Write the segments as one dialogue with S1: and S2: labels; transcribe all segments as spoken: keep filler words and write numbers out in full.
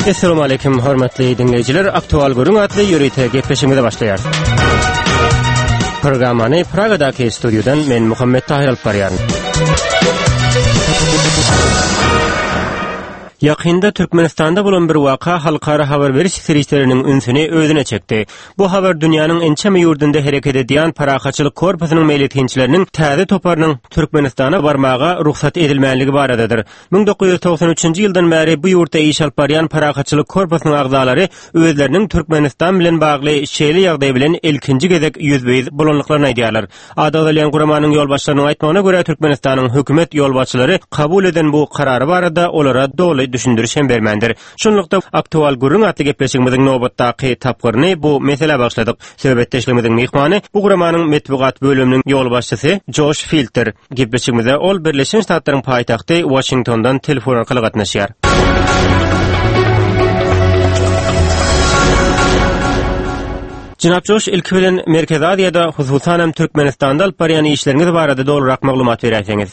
S1: Essalamu aleýkum hormatly diňleýjiler. Aktual gürrüň atly ýörite gepleşigimize başlaýarys. Programmany Pragadaky studiýadan men Muhammet Tahir alyp barýaryn. Ýakynda Türkmenistanda bolan bir waka halkara habar beriş serişdeleriniň ünsüni özüne çekdi. Bu habar dünýäniň ençeme ýurdunda hereket edýän Parahatçylyk korpusynyň meýletinçileriniň täze toparynyň Türkmenistana barmaga rugsat edilmänligi baradadyr. Müň dokuz ýüz togsan üçünji ýyldan bäri bu ýurtda iş alyp barýan Parahatçylyk korpusynyň agzalary özleriniň Türkmenistan bilen bagly şeýle ýagdaý bilen ilkinji gezek ýüzbe-ýüz bolanlyklaryny aýdýarlar. Ady agzalýan guramanyň ýolbaşçylarynyň aýtmagyna görä, Türkmenistanyň hökümet ýolbaşçylary kabul eden bu karary barada olara doly düşündiriş hem bermändir. Şunlukda Aktual gürrüň atly gepleşigimiziň nobatdaky tapgyryny bu meselä bagyşladyk. Söhbetdeşligimiziň myhmany bu guramanyň metbugat bölüminiň ýolbaşçysy Joş Filddir. Gepleşigimize ol Birleşen Ştatlaryň paýtagty Washingtondan telefon arkaly gatnaşýar. Jenap Joş, ilki bilen Merkezi Aziýada, hususanam Türkmenistanda alyp barýan işleriňiz barada dolurak maglumat beräýseňiz.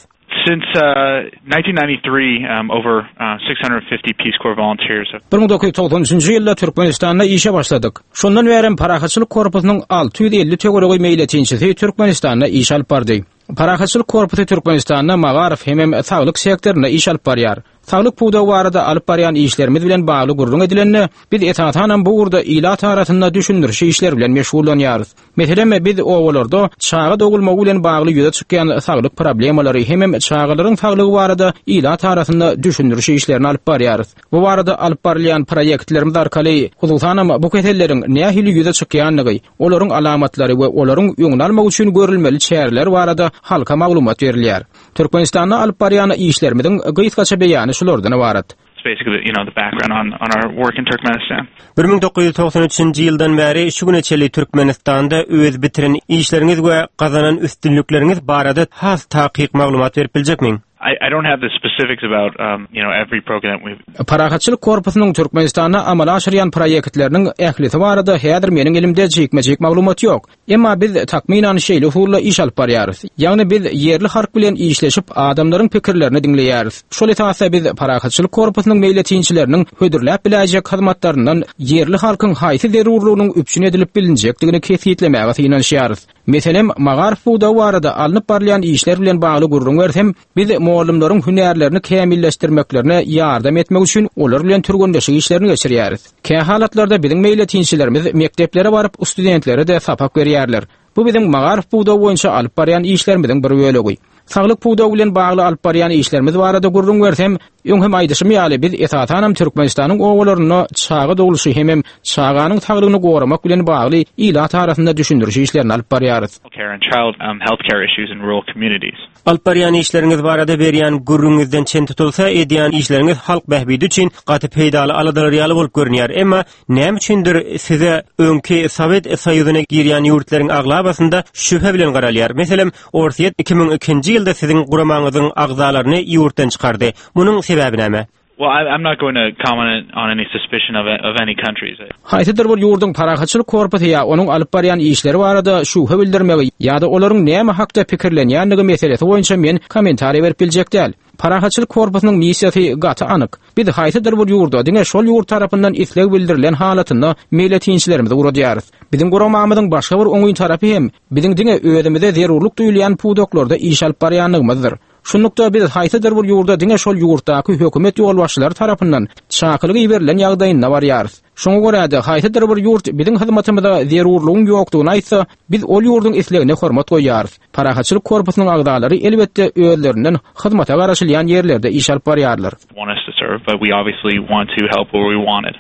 S2: Since, uh, nineteen ninety-three, um, over, uh, six hundred fifty Peace Corps volunteers have
S3: Bir müň dokuz ýüz togsan üçünji ýylda Türkmenistanda işe başladyk. Şondan bärem Parahatçylyk korpusynyň alty ýüz elli töweregi meýletinçisi Türkmenistanda iş alyp bardy. Parahatçylyk korpusy Türkmenistanda magaryf hemem saglyk sektorynda iş alyp barýar. Saglyk pudagy barada alyp barýan işlerimiz bilen bagly gürrüň edilende, biz esasanam bu ugurda ilat arasynda düşündiriş işleri bilen meşgullanýarys. Meselem, biz obalarda çaga dogulmagy bilen bagly ýüze çykýan saglyk problemalary hemem çagalaryň saglygy barada ilat arasynda düşündiriş işlerini alyp barýarys. Bu barada alyp barylýan proýektlerimiz arkaly hususanam bu keselleriň nähili ýüze çykýandygy, olaryň alamatlary we olaryň öňüni almak üçin görülmeli çäreler barada halka maglumat berilýär. Türkmenistanda alyp barýan işlerimiziň gysgaça beýany şulardan ibarat.
S2: Basically, you know, the background on, on our work in Turkmenistan.
S1: Bir müň dokuz ýüz togsan üçünji ýyldan bäri şu güne çenli Türkmenistanda öz bitiren işleriňiz we gazanan üstünlikleriňiz barada has takyk maglumat berip biljekmiň?
S2: I, I don't have the specifics about, um, you know, every program we've
S3: Parahatçylyk korpusynyň Türkmenistanda amala aşyrýan proýektleriniň ählisi barada häzir meniň elimde jikme-jik maglumat ýok. Emma biz takmynan şeýle usulla iş alyp barýarys. Ýagny biz ýerli halk bilen işleşip adamlaryň pikirlerini diňleýäris. Şol esasda biz Parahatçylyk korpusynyň meýletinçileriniň hödürläp biläýjek hyzmatlaryndan ýerli halkyň haýsy zerurlygynyň üpjün edilip bilinjekdigini kesgitlemäge synanyşýarys. Meselem, magaryf pudagy barada alnyp barylýan işler bilen bagly gürrüň bersem, biz mugallymlaryň hünärlerini kämilleşdirmeklerine ýardam etmek üçin olar bilen türgenleşik işlerini geçirýäris. Kä halatlarda biziň meýletinçilerimiz mekdeplere baryp studentlere de sapak berýärler. Bu biziň magaryf pudagy boýunça alyp barýan işlerimiziň bir bölegi. Saglyk pudagy bilen bagly alyp barýan işlerimiz barada gürrüň bersem, öň hem aýdyşym ýaly biz esasanam Türkmenistanyň obalarynda çaga dogluşy hemem çaganyň saglygyny goramak bilen bagly ilat arasynda düşündiriş işlerini alyp barýarys.
S2: Care and child, um, healthcare issues in rural communities.
S1: Alyp barýan işleriňiz barada berýän gürrüňiňizden çen tutulsa, edýän işleriňiz halk bähbidi üçin gaty peýdaly aladalar ýaly bolup görünýär. Emma näme üçindir size öňki Sowet Soýuzyna girýän ýurtlaryň aglabasynda şübhe bilen garalýar. Meselem, Orsýet iki müň ikinji ýylda siziň guramaňyzyň agzalaryny ýurtdan çykardy. Munuň sebäbi näme?
S2: Well, I, I'm not going to comment on any suspicion of, of any countries.
S3: Haýsydyr bir ýurduň parahatçylyk korpusy ýa onuň alyp barýan işleri barada şübhe bildirmegi ýa-da olaryň näme hakda pikirlenýändigi meselesi boýunça men kommentariý berip biljek däl. Parahatçylyk korpusynyň missiýasy gaty anyk. Biz haýsydyr bir ýurda diňe şol ýurt tarapyndan isleg bildirilen halatynda meýletinçilerimizi ugradýarys. Biziň guramamyzyň başga bir oňyn tarapy hem biziň diňe özümize zerurlyk duýulýan pudaklarda iş alyp barýanlygymyzdyr. Şunlukda biz haýsydyr bir ýurda diňe şol ýurtdaky hökümet ýolbaşçylary tarapyndan çakylyk iberilen ýagdaýynda barýarys. Şoňa görä-de haýsydyr bir ýurt biziň hyzmatymyza zerurlygyň ýokdugyny aýtsa, biz ol ýurduň islegine hormat goýýarys. Parahatçylyk korpusynyň agzalary elbetde özlerinden hyzmata garaşylýan ýerlerde iş alyp barýarlar.
S2: Want us to serve, but we obviously want to help where we wanted.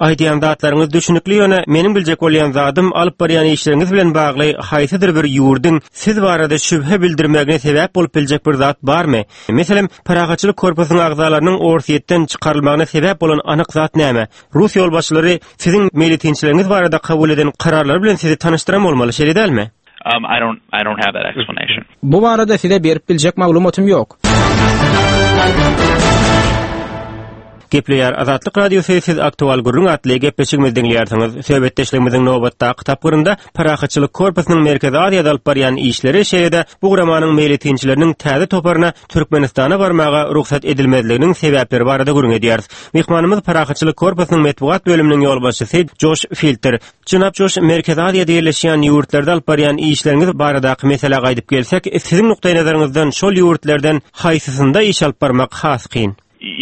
S1: Aýdýan zatlaryňyz düşünikli, ýöne meniň biljek bolýan zadym alyp barýan işleriňiz bilen bagly haýsydyr bir ýurduň siz barada şübhe bildirmegine sebäp bolup biljek bir zat barmy? Meselem, Parahatçylyk korpusynyň agzalarynyň Orsýetden çykarylmagyna sebäp bolan anyk zat näme? Rus ýolbaşçylary siziň meýletinçileriňiz barada kabul eden kararlary bilen sizi tanyşdyran bolmaly, şeýle dälmi?
S2: Um, I don't, I don't have that explanation.
S3: Bu barada size berip biljek maglumatym ýok.
S1: Gepleýär Azatlyk Radiosy siz aktual gürrüň atly gepleşigimizi diňleýärsiňiz. Söhbetdeşligimiziň nobatdaky tapgyrynda Parahatçylyk korpusynyň Merkezi Aziýada alyp barýan işleri, şeýle-de bu guramanyň meýletinçileriniň täze toparyna Türkmenistana barmaga rugsat edilmezliginiň sebäpleri barada gürrüň edýäris. Myhmanymyz Parahatçylyk korpusynyň metbugat bölüminiň ýolbaşçysy Joş Filter. Jenap Joş, Merkezi Aziýada ýerleşýän ýurtlarda alyp barýan işleriňiz baradaky meselä gaýdyp gelsek, siziň nukdaýnazaryňyzdan şol ýurtlardan haýsysynda iş alyp barmak has kyn?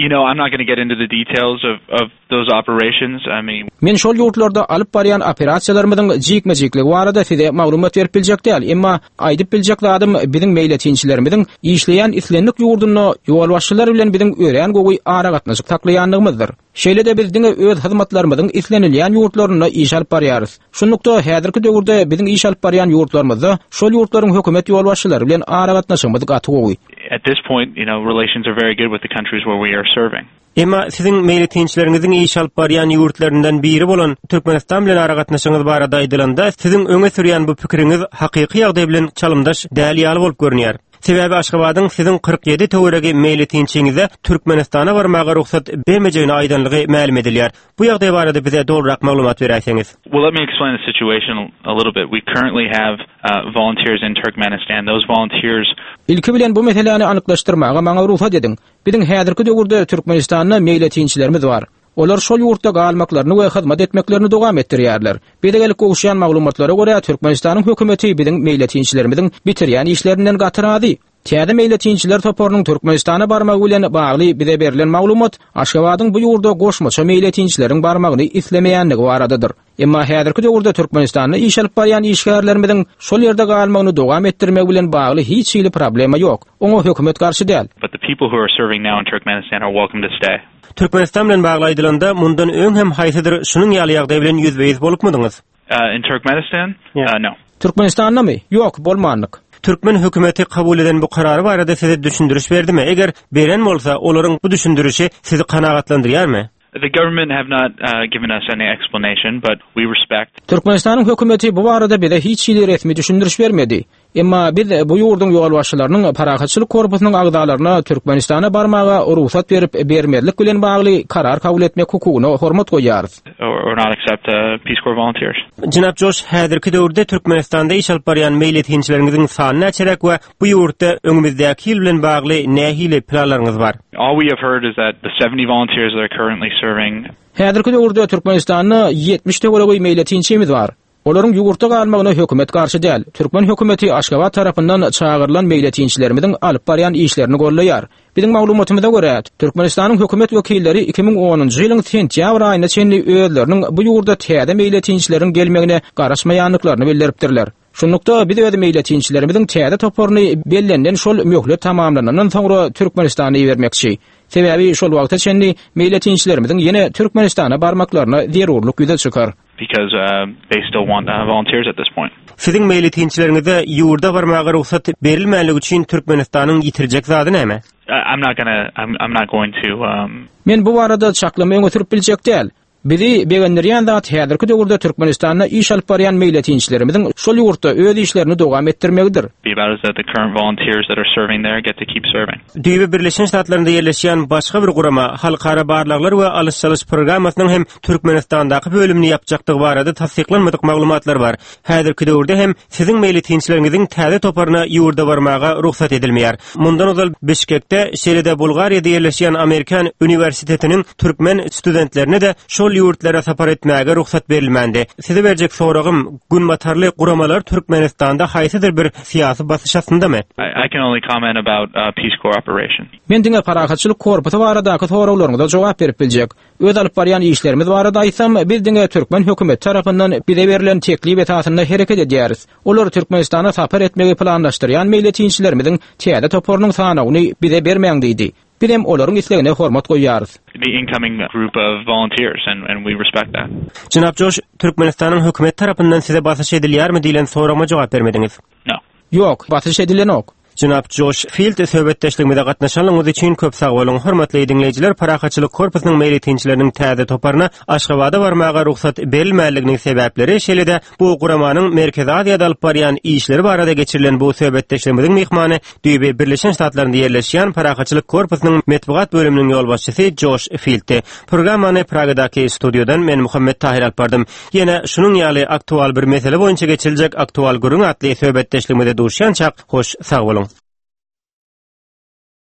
S2: You know, I'm not going to get into the details of, of those operations. I mean,
S3: Men şol ýurtlarda alyp barýan operasiýalarymyzyň jikme-jikligi barada size maglumat berip biljek däl, emma aýdyp biljek zadym biziň meýletinçilerimiziň işleýän islendik ýurdunda ýolbaşçylar bilen biziň örän gowy aragatnaşyk saklaýandygymyzdyr. Şeýle-de biz diňe öz hyzmatlarymyzyň islenilýän ýurtlarynda iş alyp barýarys. Şunlukda häzirki döwürde biziň iş alyp barýan ýurtlarymyzda şol ýurtlaryň hökümet ýolbaşçylary bilen aragatnaşygymyz gaty gowy.
S2: at this point, you know, relations are very good with the countries where we are serving.
S1: Emma siziň meýletinçileriňiziň iş alyp barýan ýurtlaryndan biri bolan Türkmenistan bilen aragatnaşygyňyz barada aýdylanda, siziň öňe sürýän bu pikiriňiz hakyky ýagdaý bilen çalymdaş däl ýaly bolup görünýär. Sebäbi Aşgabadyň siziň kyrk ýedi töweregi meýletinçiňize Türkmenistana barmaga rugsat bermejegini aýdanlygy mälim edilýär. Bu ýagdaý barada bize dogryrak maglumat beräýseňiz.
S2: Well, let me explain the situation a little bit. We currently have uh, volunteers in Turkmenistan. Those volunteers
S3: Ilki bilen bu meseläni anyklaşdyrmaga maňa rugsat ediň. Biziň häzirki döwürde Türkmenistanda meýletinçilerimiz bar. Olar şol ýurtda galmaklaryny we hyzmat etmeklerini dowam etdirýärler. Bize gelip gowuşýan maglumatlara görä Türkmenistanyň hökümeti biziň meýletinçilerimiziň bitirýän işlerinden gaty razy. Täze meýletinçiler toparynyň Türkmenistana barmagy bilen bagly bize berlen maglumat Aşgabadyň bu ýurda goşmaça meýletinçileriň barmagyny islemeýänligi baradadyr. Emma häzirki döwürde Türkmenistanda iş alyp barýan işgärlerimiziň şol ýerde galmagyny dowam etdirmek bilen bagly hiç hili problema ýok. Oňa hökümet garşy däl.
S2: But the people who are serving now in Turkmenistan are welcome to stay.
S1: Türkmenistan bilen bagly aýdylanda mundan öň hem haýsydyr şunuň ýaly ýagdaý bilen ýüzbe-ýüz bolupmydyňyz?
S2: Uh, in Turkmenistan?
S1: Yeah.
S2: Uh, no.
S3: Türkmenistanda Ýok, bolmandyk.
S1: Türkmen hökümeti kabul eden bu karary barada size düşündiriş berdimi? Eger beren bolsa, olaryň bu düşündirişi sizi kanagatlandyrýarmy?
S2: The government have not uh, given us any explanation, but we respect
S3: Türkmenistanyň hökümeti bu barada bize hiç hili resmi düşündiriş bermedi. Emma biz bu ýurduň ýolbaşçylarynyň parahatçylyk korpusynyň agzalaryna Türkmenistana barmaga rugsat berip bermezlik bilen bagly karar kabul etmek hukugyna hormat goýýarys.
S2: or, or not accept uh, Peace Corps volunteers.
S1: Jenap Joş, häzirki döwürde Türkmenistanda iş alyp barýan meýletinçileriňiziň sany näçeräk we bu ýurtda öňümizdäki ýyl bilen bagly nähili planlaryňyz bar?
S2: All we have heard is that the seventy volunteers that are currently serving
S3: Häzirki döwürde Türkmenistanda ýetmiş töweregi meýletinçimiz bar. Olaryň ýurtda galmagyna hökümet garşy däl. Türkmen hökümeti Aşgabat tarapyndan çagyrylan meýletinçilerimiziň alyp barýan işlerini goldaýar. Biziň maglumatymyza görä, Türkmenistanyň hökümet wekilleri iki müň onunjy ýylyň sentýabr aýyna çenli özleriniň bu ýurda täze meýletinçileriň gelmegine garaşmaýandyklaryny bildiripdirler. Şunlukda biz öz meýletinçilerimiziň täze toparyny bellenilen şol möhlet tamamlanandan soňra Türkmenistana ibermekçi. Sebäbi şol wagta çenli meýletinçilerimiziň ýene Türkmenistana barmaklaryna zerurlyk ýüze çykar.
S2: Because uh, they still want uh, volunteers at this point.
S1: Siziň meýletinçileriňize ýurda barmaga rugsat berilmänligi üçin Türkmenistanyň ýitirjek zady näme?
S2: I, I'm not gonna, I'm, I'm not going to, um,
S3: Men bu barada çaklama öňe sürüp biljek däl. Bizi begendirýän zat häzirki döwürde Türkmenistanda iş alyp barýan meýletinçilerimiziň şol ýurtda öz işlerini dowam etdirmegidir.
S2: be about is that the current volunteers that are serving there get to keep serving.
S1: Düýbi Birleşen Ştatlarynda ýerleşýän başga bir gurama Halkara barlaglar we alyş-çalyş programmasynyň hem Türkmenistandaky bölümini ýapjakdygy barada tassyklanmadyk maglumatlar bar. Häzirki döwürde hem siziň meýletinçileriňiziň täze toparyna ýurda barmaga rugsat edilmeýär. Mundan ozal Bişkekde, şeýle-de Bulgariýada ýerleşýän Amerikan uniwersitetiniň türkmen studentlerine de şol ýurtlara sapar etmäge rugsat berilmändi. Size berjek soragym, günbatarly guramalar Türkmenistanda haýsydyr bir syýasy basyş astyndamy?
S2: I, I can only comment about uh, Peace Corps operation.
S3: Men diňe parahatçylyk korpusy baradaky soraglaryňyza jogap berip biljek. Öz alyp barýan işlerimiz barada aýtsam, biz diňe türkmen hökümeti tarapyndan bize berlen teklip esasynda hereket edýäris. Olar Türkmenistana sapar etmegi planlaşdyrýan meýletinçilerimiziň täze toparynyň sanawyny bize bermäň diýdi. Biz hem olaryň islegine hormat goýýarys.
S2: The incoming group of volunteers, and, and we respect that.
S1: Jenap Joş, Türkmenistanyň hökümet tarapyndan size basyş edilýärmi diýlen soragyma jogap bermediňiz.
S2: No.
S3: Ýok, basyş edilenok.
S1: Jenap Joş Fild söhbetdeşligimize gatnaşanlygyňyz üçin köp sag boluň. Hormatly diňleýjiler, Parahatçylyk korpusynyň meýletinçileriniň täze toparyna Aşgabada barmaga rugsat berilmänliginiň sebäpleri, şeýle-de bu guramanyň Merkezi Aziýada alyp barýan işleri barada geçirilen bu söhbetdeşligimiziň myhmany düýbi Birleşen Ştatlarynda ýerleşýän Parahatçylyk korpusynyň metbugat bölüminiň ýolbaşçysy Joş Filddi. Programmany Pragadaky studiýadan men Muhammet Tahir alyp bardym. Ýene şunuň ýaly aktual bir mesele boýunça geçiriljek Aktual gürrüň atly söhbetdeşligimize duşýançak hoş sag boluň.